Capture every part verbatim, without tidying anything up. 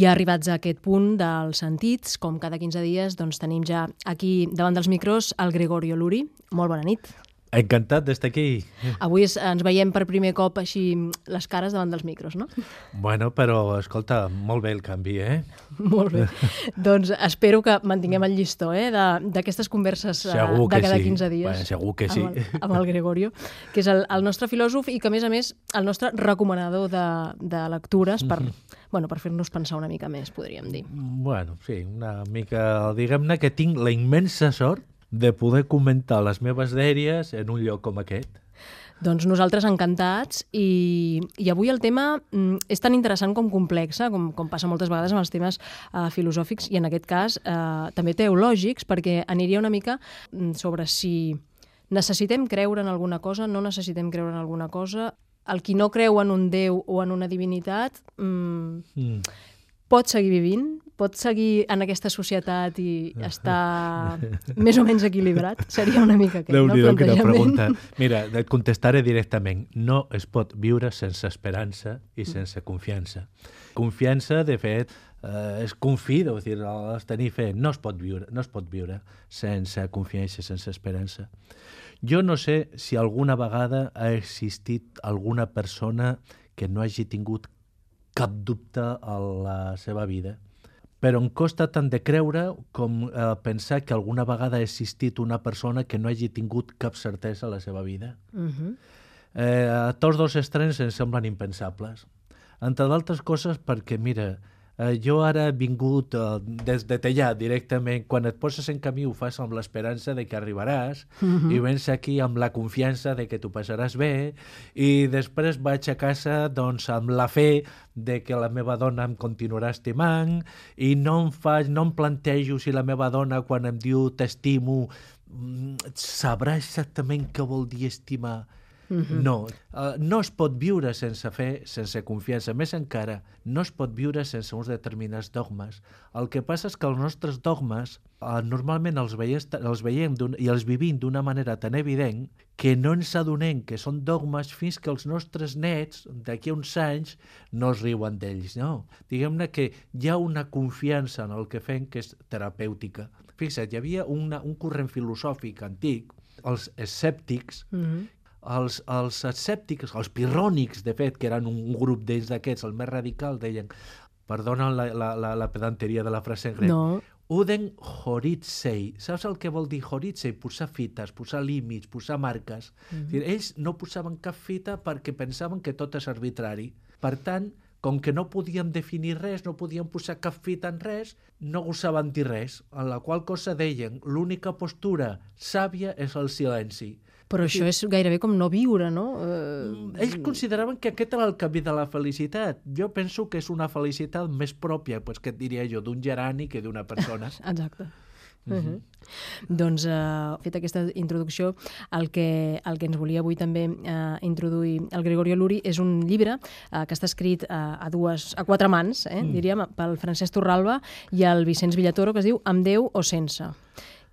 I arribats a aquest punt dels sentits, com cada quinze dies, doncs tenim ja aquí davant dels micros el Gregorio Luri. Molt bona nit. Encantat d'estar aquí. Avui es, ens veiem per primer cop així les cares davant dels micros, no? Bueno, però, escolta, molt bé el canvi, eh? Molt bé. Doncs espero que mantinguem el llistó, eh, d'aquestes converses segur de cada sí. quinze dies. Bueno, segur que sí. Amb el, amb el Gregorio, que és el, el nostre filòsof i que, a més a més, el nostre recomanador de, de lectures per, mm-hmm. bueno, per fer-nos pensar una mica més, podríem dir. Bueno, sí, una mica... Diguem-ne que tinc la immensa sort de poder comentar les meves dèries en un lloc com aquest. Doncs nosaltres encantats i, i avui el tema mm, és tan interessant com complex, com, com passa moltes vegades amb els temes eh, filosòfics i en aquest cas eh, també teològics, perquè aniria una mica sobre si necessitem creure en alguna cosa, no necessitem creure en alguna cosa. El qui no creu en un Déu o en una divinitat mm, mm. pot seguir vivint, pot seguir en aquesta societat i estar més o menys equilibrat? Seria una mica aquest, no? Déu-n'hi-do, quina pregunta. Mira, et contestaré directament. No es pot viure sense esperança i sense confiança. Confiança, de fet, eh, és confido, és dir, és tenir fe. No es pot viure, no es pot viure sense confiança, sense esperança. Jo no sé si alguna vegada ha existit alguna persona que no hagi tingut cap dubte a la seva vida. Però em costa tant de creure com eh, pensar que alguna vegada ha existit una persona que no hagi tingut cap certesa a la seva vida. Uh-huh. eh, tots dos extrems em semblen impensables. Entre d'altres coses perquè, mira, eh, jo ara he vingut eh, des de Tellà directament. Quan et poses en camí ho fas amb l'esperança de que arribaràs uh-huh. i vens aquí amb la confiança de que t'ho passaràs bé i després vaig a casa doncs, amb la fe de que la meva dona em continuarà estimant i no em, faig, no em plantejo si la meva dona quan em diu t'estimo sabrà exactament què vol dir estimar. Mm-hmm. No, uh, no es pot viure sense fe, sense confiança. Més encara, no es pot viure sense uns determinats dogmes. El que passa és que els nostres dogmes uh, normalment els veiem, els veiem i els vivim d'una manera tan evident que no ens adonem que són dogmes fins que els nostres nets, d'aquí a uns anys, no es riuen d'ells. No. Diguem-ne que hi ha una confiança en el que fem que és terapèutica. Fixa't, hi havia una, un corrent filosòfic antic, els escèptics, mm-hmm. Els, els escèptics, els pirrònics, de fet, que eren un grup d'ells d'aquests, el més radical, deien, perdona la, la, la, la pedanteria de la frase en grec, no. Uden horitsei. Saps el que vol dir horitsei? Posar fites, posar límits, posar marques. Mm-hmm. Dir, ells no posaven cap fita perquè pensaven que tot és arbitrari. Per tant, com que no podien definir res, no podien posar cap fita en res, no gosaven dir res, en la qual cosa deien, l'única postura sàvia és el silenci. Però això és gairebé com no viure, no? Uh... Ells consideraven que aquest era el camí de la felicitat. Jo penso que és una felicitat més pròpia, pues, que et diria jo, d'un gerani que d'una persona. Exacte. Uh-huh. Uh-huh. Doncs, uh, fet aquesta introducció, el que, el que ens volia avui també uh, introduir el Gregorio Luri és un llibre uh, que està escrit uh, a, dues, a quatre mans, eh, mm. diríem, pel Francesc Torralba i el Vicenç Villatoro, que es diu Amb Déu o sense.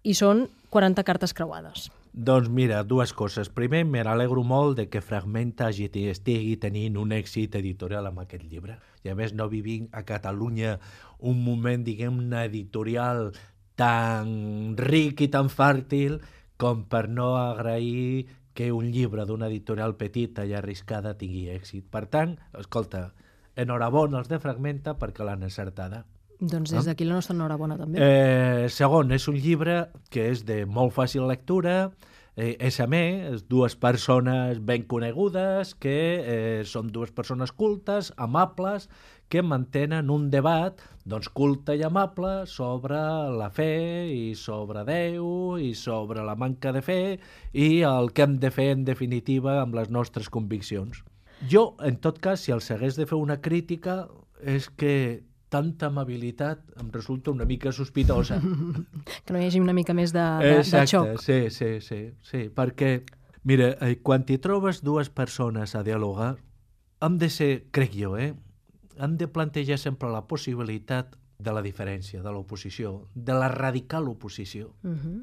I són quaranta cartes creuades. Doncs mira, dues coses. Primer, me n'alegro molt de que Fragmenta estigui tenint un èxit editorial amb aquest llibre. I a més no vivim a Catalunya un moment, diguem-ne, editorial tan ric i tan fèrtil com per no agrair que un llibre d'una editorial petita i arriscada tingui èxit. Per tant, escolta, enhorabona als de Fragmenta perquè l'han encertada. Doncs des d'aquí la nostra enhorabona també. Eh, segon, és un llibre que és de molt fàcil lectura, eh, és a més, dues persones ben conegudes, que eh, són dues persones cultes, amables, que mantenen un debat doncs, culte i amable sobre la fe i sobre Déu i sobre la manca de fe i el que hem de fer en definitiva amb les nostres conviccions. Jo, en tot cas, si els hagués de fer una crítica, és que tanta amabilitat em resulta una mica sospitosa. Que no hi hagi una mica més de, de, Exacte, de xoc. Sí, sí, sí, sí, perquè, mira, quan t'hi trobes dues persones a dialogar, hem de ser, crec jo, eh, hem de plantejar sempre la possibilitat de la diferència, de l'oposició, de la radical oposició. Uh-huh.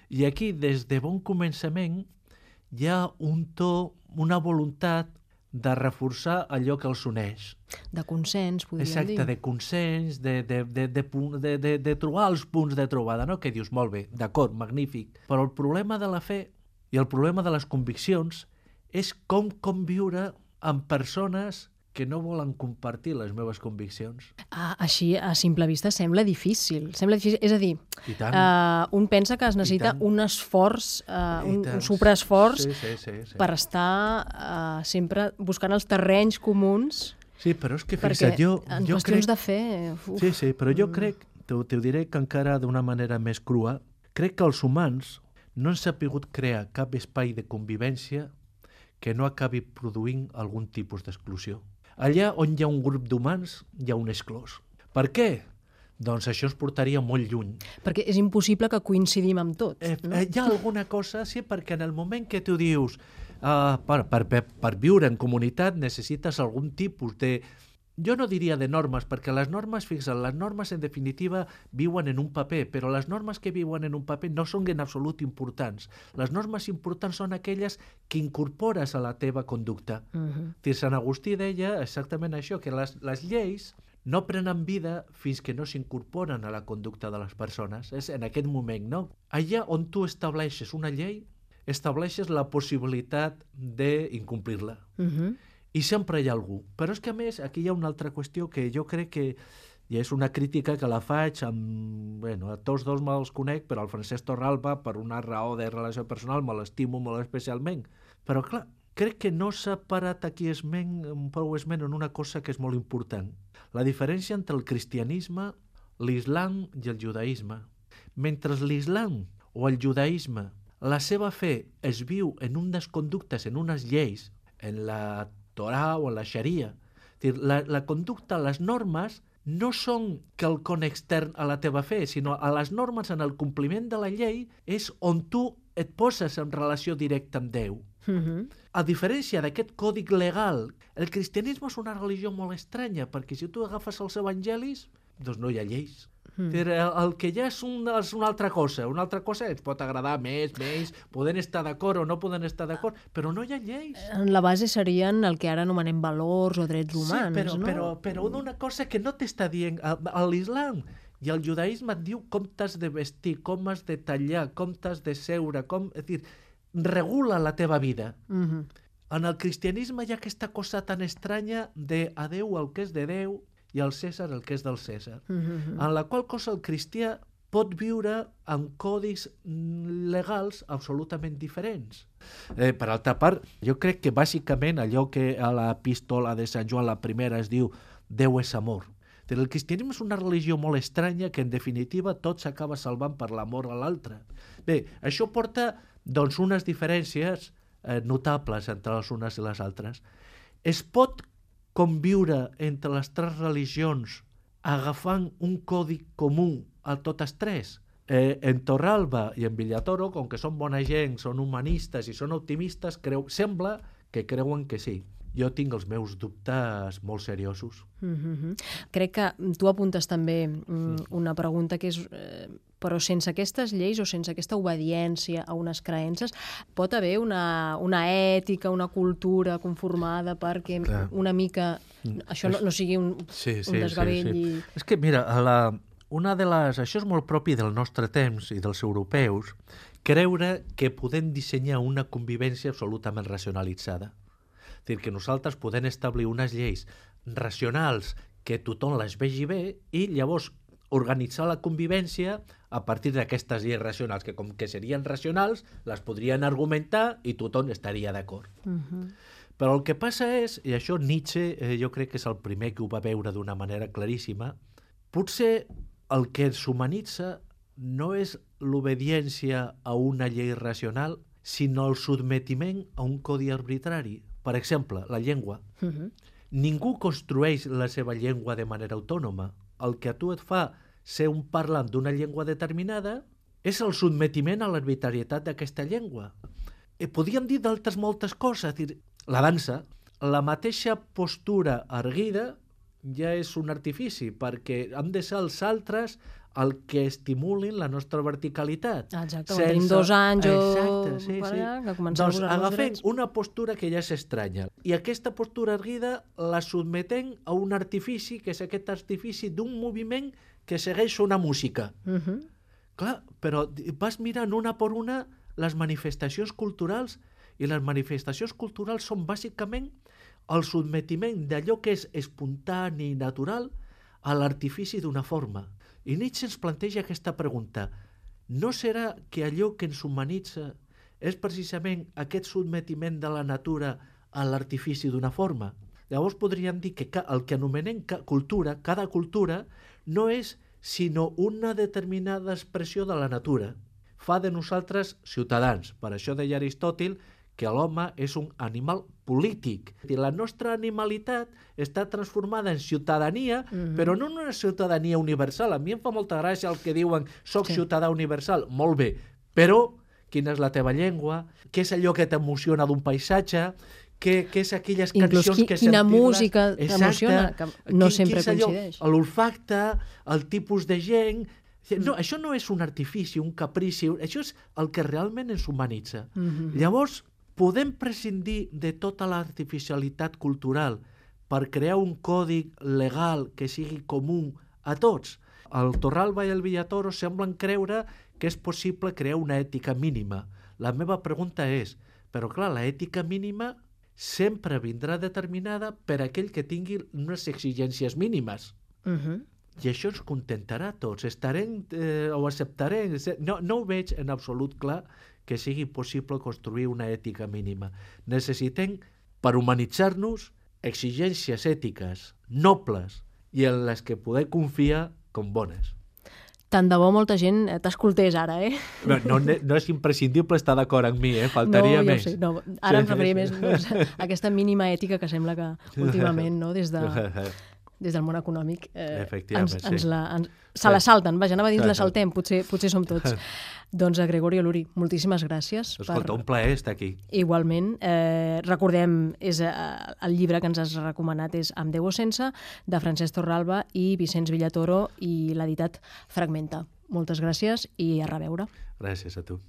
I aquí, des de bon començament, hi ha un to, una voluntat de reforçar allò que els uneix. De consens, podríem Exacte, dir. de consens, de, de, de, de, punt- de, de, de trobar els punts de trobada, no? Que dius, molt bé, d'acord, magnífic. Però el problema de la fe i el problema de les conviccions és com conviure amb persones que no volen compartir les meves conviccions. Ah, així, a simple vista, sembla difícil. Sembla difícil. És a dir, I tant. uh, un pensa que es necessita tant. un esforç, uh, I un, tant. un superesforç Sí, sí, sí, sí. per estar uh, sempre buscant els terrenys comuns. Sí, però és que Perquè fixa't, jo, en jo qüestions crec... de fe... Uf, Sí, sí, però jo mm. crec, t'ho t'ho diré que encara d'una manera més crua, crec que els humans no han sabut crear cap espai de convivència que no acabi produint algun tipus d'exclusió. Allà on hi ha un grup d'humans, hi ha un exclòs. Per què? Doncs això ens portaria molt lluny. Perquè és impossible que coincidim amb tot. Eh, no? eh, hi ha alguna cosa, sí, perquè en el moment que tu dius uh, per, per, per, per viure en comunitat necessites algun tipus de... Jo no diria de normes, perquè les normes, fixa't, les normes en definitiva viuen en un paper, però les normes que viuen en un paper no són en absolut importants. Les normes importants són aquelles que incorpores a la teva conducta. Uh-huh. Sant Agustí deia exactament això, que les, les lleis no prenen vida fins que no s'incorporen a la conducta de les persones. És en aquest moment, no? Allà on tu estableixes una llei, estableixes la possibilitat d'incomplir-la. Uh-huh. I sempre hi ha algú. Però és que, a més, aquí hi ha una altra qüestió que jo crec que i és una crítica que la faig amb... Bueno, a tots dos me'ls conec, però el Francesc Torralba, per una raó de relació personal, me l'estimo molt especialment. Però, clar, crec que no s'ha parat aquí esment, prou esment en una cosa que és molt important. La diferència entre el cristianisme, l'islam i el judaïsme. Mentre l'islam o el judaïsme, la seva fe es viu en unes conductes, en unes lleis, en la Torà o en la Xaria. La, la conducta, les normes, no són quelcom extern a la teva fe, sinó a les normes en el compliment de la llei és on tu et poses en relació directa amb Déu. Uh-huh. A diferència d'aquest còdic legal, el cristianisme és una religió molt estranya, perquè si tu agafes els evangelis, doncs no hi ha lleis. Mm. El, el que ja és, un, és una altra cosa. Una altra cosa ens pot agradar més, menys, poden estar d'acord o no poden estar d'acord, però no hi ha lleis. En la base serien el que ara anomenem valors o drets humans, sí, però, no? però, però una cosa que no t'està dient a, a l'islam i el judaïsme et diu com t'has de vestir, com has de tallar, com t'has de seure, com... És dir, regula la teva vida. Uh-huh. En el cristianisme hi ha aquesta cosa tan estranya de a Déu el que és de Déu i al Cèsar el que és del Cèsar, uh-huh. en la qual cosa el cristià pot viure amb codis legals absolutament diferents. Eh, per altra part, jo crec que bàsicament allò que a l'epístola de Sant Joan la primera es diu Déu és amor. El cristianisme és una religió molt estranya que en definitiva tot s'acaba salvant per l'amor a l'altre. Bé, això porta doncs unes diferències eh, notables entre les unes i les altres. Es pot conviure entre les tres religions agafant un codi comú a totes tres. Eh, en Torralba i en Villatoro, com que són bona gent, són humanistes i són optimistes, creu, sembla que creuen que sí. Jo tinc els meus dubtes molt seriosos. Uh-huh. Crec que tu apuntes també mm, una pregunta que és... Eh, però sense aquestes lleis o sense aquesta obediència a unes creences pot haver una, una ètica, una cultura conformada perquè Clar. una mica això no, no sigui un, sí, sí, un desgavell. Sí, sí. I... És que, mira, a la, una de les, això és molt propi del nostre temps i dels europeus, creure que podem dissenyar una convivència absolutament racionalitzada. És a dir, que nosaltres podem establir unes lleis racionals que tothom les vegi bé i llavors organitzar la convivència a partir d'aquestes lleis racionals, que com que serien racionals, les podrien argumentar i tothom estaria d'acord. Uh-huh. Però el que passa és, i això Nietzsche eh, jo crec que és el primer que ho va veure d'una manera claríssima, potser el que ens humanitza no és l'obediència a una llei racional, sinó el sotmetiment a un codi arbitrari. Per exemple, la llengua. Uh-huh. Ningú construeix la seva llengua de manera autònoma. El que a tu et fa ser un parlant d'una llengua determinada és el sotmetiment a l'arbitrarietat d'aquesta llengua. E podríem dir d'altres moltes coses. Dir, la dansa, la mateixa postura erguida ja és un artifici, perquè han de ser els altres el que estimulin la nostra verticalitat. Exacte, quan tenim dos anys o... Exacte, sí, sí. que comencem Doncs a posar-nos agafem drets. una postura que ja s'estranya i aquesta postura erguida la sotmetem a un artifici, que és aquest artifici d'un moviment que segueix una música. Uh -huh. Clar, però vas mirant una per una les manifestacions culturals i les manifestacions culturals són bàsicament el sotmetiment d'allò que és espontani i natural a l'artifici d'una forma. I Nietzsche ens planteja aquesta pregunta. No serà que allò que ens humanitza és precisament aquest sotmetiment de la natura a l'artifici d'una forma? Llavors podríem dir que el que anomenem cultura, cada cultura, no és sinó una determinada expressió de la natura. Fa de nosaltres ciutadans. Per això deia Aristòtil que l'home és un animal polític. I la nostra animalitat està transformada en ciutadania, mm-hmm. però no en una ciutadania universal. A mi em fa molta gràcia el que diuen soc sí. ciutadà universal. Molt bé, però quina és la teva llengua? Què és allò que t'emociona d'un paisatge? Què, què és aquelles Inclús cançons qui, que quina sentim-les? música t'emociona, que no quin, sempre allò, coincideix. L'olfacte, el tipus de gent... No, mm. Això no és un artifici, un caprici, això és el que realment ens humanitza. Mm-hmm. Llavors, podem prescindir de tota l'artificialitat cultural per crear un codi legal que sigui comú a tots. El Torralba i el Villatoro semblen creure que és possible crear una ètica mínima. La meva pregunta és, però clar, la ètica mínima sempre vindrà determinada per aquell que tingui unes exigències mínimes. Uh-huh. I això ens contentarà a tots. Estarem eh, o acceptarem. No, no ho veig en absolut clar que sigui possible construir una ètica mínima. Necessitem, per humanitzar-nos, exigències ètiques nobles i en les que poder confiar com bones. Tant de bo molta gent t'escoltés ara, eh? No, no, no és imprescindible estar d'acord amb mi, eh? Faltaria no, més. Sé, no, ara sí, em referia sí. més doncs, a aquesta mínima ètica que sembla que últimament, no, des de... des del món econòmic, eh, ens, ens sí. la, ens, se la salten. Vaja, anava a dir la saltem, potser, potser som tots. Doncs a Gregorio Luri, moltíssimes gràcies. Escolta, per... un plaer estar aquí. Igualment. Eh, recordem, és, eh, el llibre que ens has recomanat és Amb Déu o sense, de Francesc Torralba i Vicenç Villatoro, i l'editat Fragmenta. Moltes gràcies i a reveure. Gràcies a tu.